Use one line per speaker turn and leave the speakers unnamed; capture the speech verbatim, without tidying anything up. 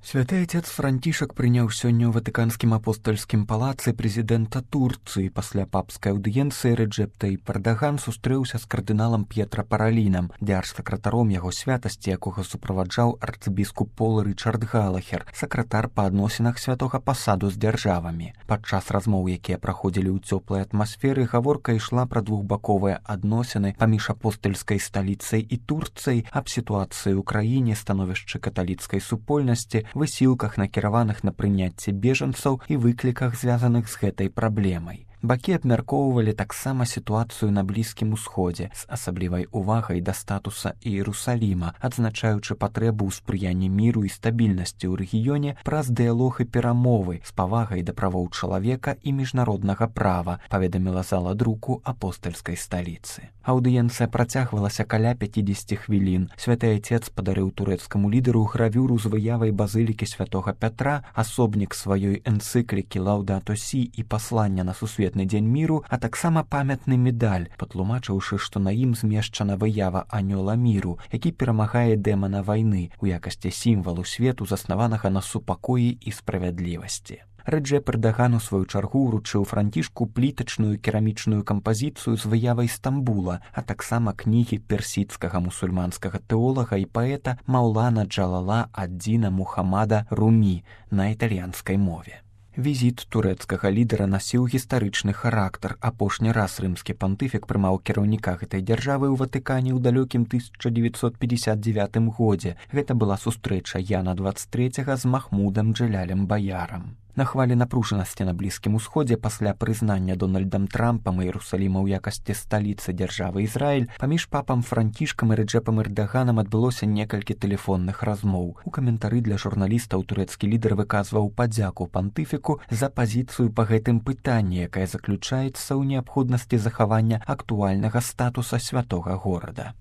Святы Отец Францішак прыняў сёння ў Ватыканскім апостальскім палацы прэзідэнта Турцыі. Пасля папскай аўдыенцыі Реджеп Таyyip Эрдоган сустрэўся з кардыналам П'етра Паралінам, дзяржсакратаром яго святасці, якога суправаджаў арцыбіскуп Пол Рычард Галахер, сакратар па адносінах святога пасаду з дзяржавамі. Падчас размоў, якія праходзілі ў цёплай атмасферы, гаворка ішла пра двухбаковыя адносіны паміж апостальскай сталіцай і Турцыяй, аб сітуацыі ў краіне, становішчы каталіцкай супольнасці, высілках, накіраваных на прыняцце бежанцаў і выкліках, звязаных з гэтай праблемай. Бакі абмяркоўвалі таксама сітуацыю на Блізкім Усходзе з асаблівай увагай да статуса Іерусаліма, адзначаючы патрэбу ў спрыянні міру і стабільнасці ў рэгіёне праз дыялог і перамовы з павагай да правоў чалавека і міжнароднага права, паведаміла зала друку апостальскай сталіцы. Аўдыенцыя працягвалася каля пяцідзесяці хвілін. Святы Отец падарыў турэцкаму лідару гравюру з выявай базылікі святога Пятра, асобнік сваёй энцыклікі «Лаўдато Сі» і паслання на сусветны дзень міру, а таксама памятны медаль, патлумачыўшы, што на ім змешчана выява анёла міру, які перамагае дэмана вайны у якасці сімвалу свету, заснаванага на супакоі і справядлівасці. Реджеп Эрдоган у сваю чаргу ўручыў Францішку плітачную керамічную кампазіцыю з выявай Стамбула, а таксама кнігі персідскага мусульманскага тэолага і паэта Маулана Джалала ад-Діна Мухаммада Румі на італьянскай мове. Візіт турэцкага лідара насіў гістарычны характар. Апошні раз рымскі пантыфік прымаў кіраўніка гэтай дзяржавы ў Ватыкане ў далёкім тысяча дзевяцьсот пятьдесят девятым годзе. Гэта была сустрэча Яна двадцать третьего з Махмудам Джалялем Баярам. На хвалі напружанасці на Блізкім Усходзе пасля прызнання Дональдам Трампам Іерусаліма ў якасці сталіцы дзяржавы Ізраіль паміж папам Францішкам і Реджепам Эрдаганам адбылося некалькі тэлефонных размоў. У каментары для журналістаў турэцкі лідар выказваў падзяку пантыфіку за пазіцыю па гэтым пытанні, якая заключаецца ў неабходнасці захавання актуальнага статуса святога горада.